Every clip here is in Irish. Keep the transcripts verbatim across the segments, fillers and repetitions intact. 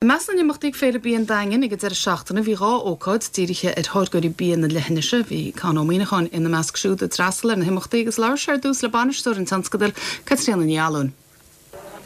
I measc na n-imeachtaí ag Féile Bia an Daingin ag an deireadh seachtaine bhí dhá ócáid dírithe ar tháirgeoirí bia na leithinise, bhí Con Ó Muíneacháin ina measc siúd a d'fhreastail ar na himeachtaí agus labhair sé ar dtús le bainisteoir an tionscadail Caitríona Ní Fhallúin.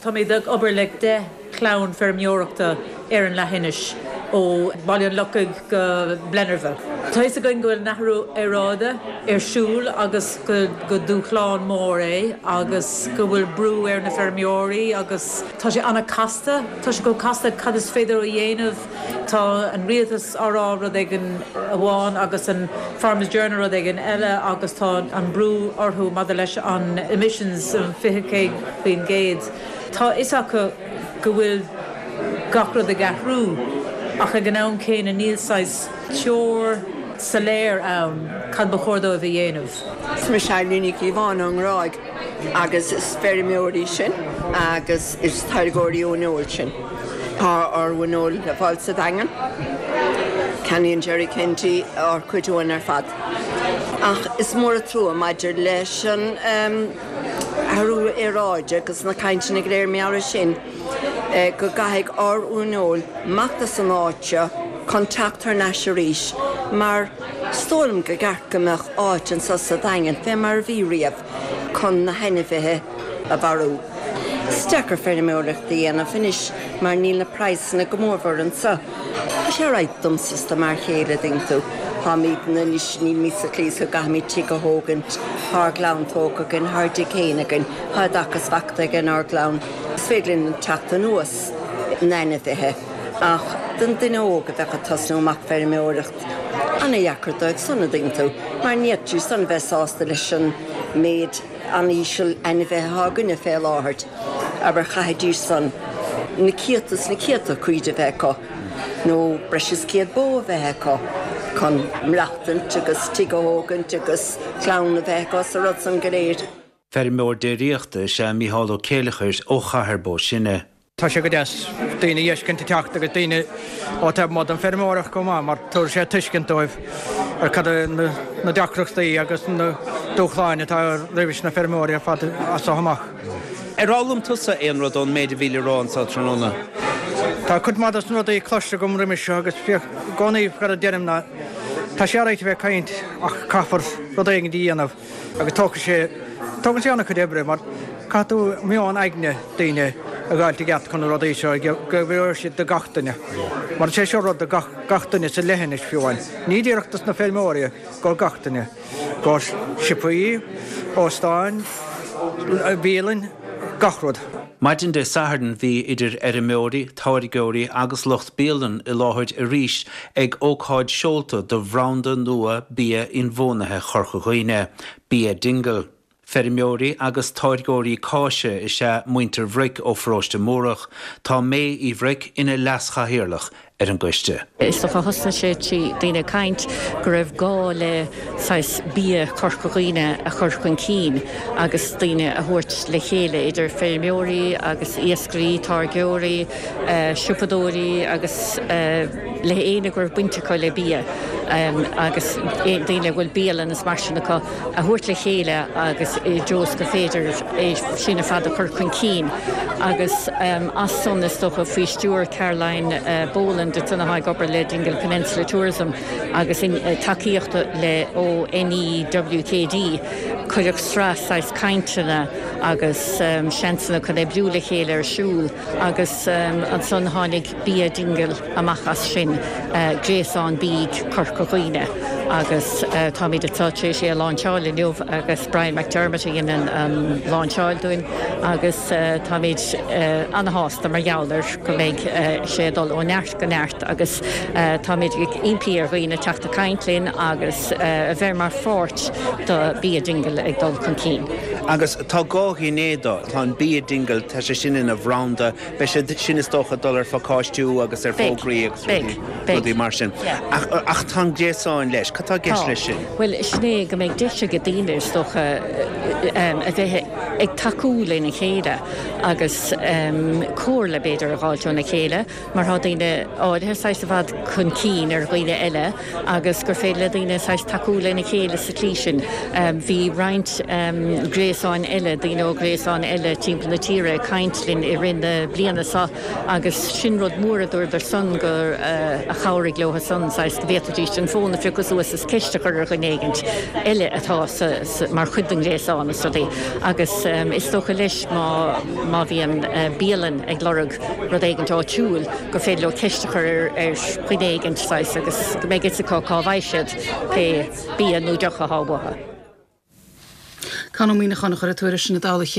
Táimid ag obair le deich gclann feirmeoireachta ar an leithinis ó Bhaile an Lochaigh go Blennerville. Tá fhios againn go bhfuil an athrú aeráide ar siúl agus go go dúshlán mór é agus go bhfuil brú ar na feirmeoirí agus tá sé an-chasta, Tá sé go casta cad is féidir a dhéanamh tá an rialtas á rá rud éigin amháin agus an Farmers Journal rud éigin eile agus tá an brú orthu maidir leis an emissions fiche faoin gcéad. Tá fhios acu go bhfuil gach rud ag athrú ach ag an am céanna níl saghas treoir soiléir ann cad ba chóir dóibh a dhéanamh. Is mise Eileen Ní Chíobháin ón nGráig agus is feirmeoirí sinn agus is táirgeoirí uaineoil sinn. Tá ár uaineoil le fáil sa Daingean. Ceannaíonn Jerry Kennedy ár cuid uain ar fad. Ach is mór an trua maidir leis an athrú aeráide agus na cainteanna go léir mar sin go gcaithfidh ár uaineoil imeacht as an áit seo chun teacht thar n-ais arís mar is dóigh liom go gceart go mbeadh áit anseo sa Daingean fé mar a bhí riamh chun na hainmhithe a mharú. Is deacair feirmeoireacht a dhéanamh anois mar níl na praghsanna go mórmhór anseo. Tá sé right domsa is do m'fhear chéile dtuigeann tú. Táimidne anois níl sa tslí go gcaithfimid tigh a thógaint, tá ár gclann tógtha againn, tá ár dtigh féin againn, tá oideachas faighte ag ár gclann. Is féidir linn teacht anuas na hainmhithe ach don duine óg a bheadh ag tosnú amach feirmeoireacht an-deacair dóibh san a dtuigeann tú, mar ní fhéadfaidís san bheith sásta leis an méid an-íseal ainmhithe atá againne fé láthair, abair chaithfidís san na céadta is na céadta cuid a bheith acu nó breis is céad bó a bheith acu chun maireachtaint agus tigh a thógaint agus clann a bheith acu sa rud san go léir. Feirmeoir déiríochta is ea Mícheál Ó Céileachair ó Chathair Bó Sine. Tá sé go deas daoine a fheiscint ag teacht agus daoine ó taobh amuigh den feirmeoireacht chomh maith mar tabharfaidh sé tuiscint dóibh ar cad na deacrachtaí agus na dúshláin atá roimh na feirmeoirí ar fad as seo amach. Ar fhoghlaim tusa aon rud ón méid a bhí le rá anseo tráthnóna. Tá cuid mhaith dos na rudaí cloiste agam roimhe seo agus i gcónaí cad a deirim ná tá sé right a bheith ag caint ach caithfear rud éigin a dhéanamh agus tógfaidh sé tógann sé an-chuid oibre mar caithfidh tú meon aigne daoine a fháilt i gceart chun na rudaí seo go bhfeoir siad do gach duine. Mar sé seo rud do gach, gach duine sa leithinis fiú amháin. Ní díreach dos na feirmeoirí go gach duine. Go siopaí, óstáin, bialann, gach rud. Maidin Dé Sathairn bhí idir fheirmeoirí, táirgeoirí agus lucht bialann i láthair arís ag ócáid seolta do bhranda nua bia inbhuanaithe Chorca Dhuibhne, Bia Dingle. Feirmeoirí agus táirgeoirí cáise is ea muintir Bhric ó Pharóiste Múrach, tá May Uí Bhric ina leaschathaoirleach ar an gcoiste. Is dócha thosnaigh sé trí daoine ag caint go raibh gá le saghas bia Chorca Dhuibhne a chur chun cinn agus daoine a thabhairt le chéile idir feirmeoirí agus iascairí, táirgeoirí, siopadóirí agus le éinne go raibh baint acu le bia agus daoine bhfuil bialann is mar sin acu a thabhairt le chéile agus i dtreo go féidir é sin ar fad a chur chun cinn agus as san is dócha faoi stiúir Caroline Boland atá ag obair le Dingle Peninsula Tourism agus in tacaíocht le ó NEWKD cuireadh sraith saghas cainteanna agus um, seansanna chun oibriú le chéile ar siúl agus um, ansan tháinig Bia Dingle amach as sin uh, gréasán bídh Chorca Dhuibhne agus uh, táimid tar éis é a lainseáil inniu agus Brian McDermott a dhein an um, lainseáil dúinn agus uh, táimid uh, an-sásta mar gheall air go mbeidh uh, sé dul ó neart go neart agus uh, táimid ag impí ar dhaoine teacht ag caint linn agus uh, a bheith mar pháirt do Bia Dingle ag dul chun cinn. Agus tá dhá ghné dó tá an Bia Dingle tá sé sin ina bhranda, beidh sé sin is dócha dul ar phacáistiú agus ar fógraí agus rudaí mar sin. Ach tá gréasán leis, Cad tá i gceist leis sin? Bhuel, sin é go mbeidh deis ag daoine is dócha a bheith ag tacú lena chéile agus comhairle b'fhéidir a fháilt óna chéile mar tá daoine áirithe saghas i bhfad chun cinn ar dhaoine eile agus gur féidir le daoine saghas tacú lena chéile sa tslí sin. Bhí roinnt gréasáin eile, daoine ó ghréasáin eile timpeall na tíre ag caint linn i rith na bliana seo agus sin rud mór a dúradar san gur a chabhraigh leo san saghas go bhféadfaidís an fón a phiocadh suas is ceist a chur ar dhuine éigint eile atá mar chuid den ghréasán is rudaí agus is dócha leis má má bhíonn bialann ag lorg rud éigint áitiúil gur féidir leo ceist a chur ar dhuine éigint saghas agus go mbeidh fhios acu cá bhfaighidh siad pé bia nó deoch atá uathu. Conn Ó Muíneacháin a chuir an tuairisc sin i dtoll a chéile.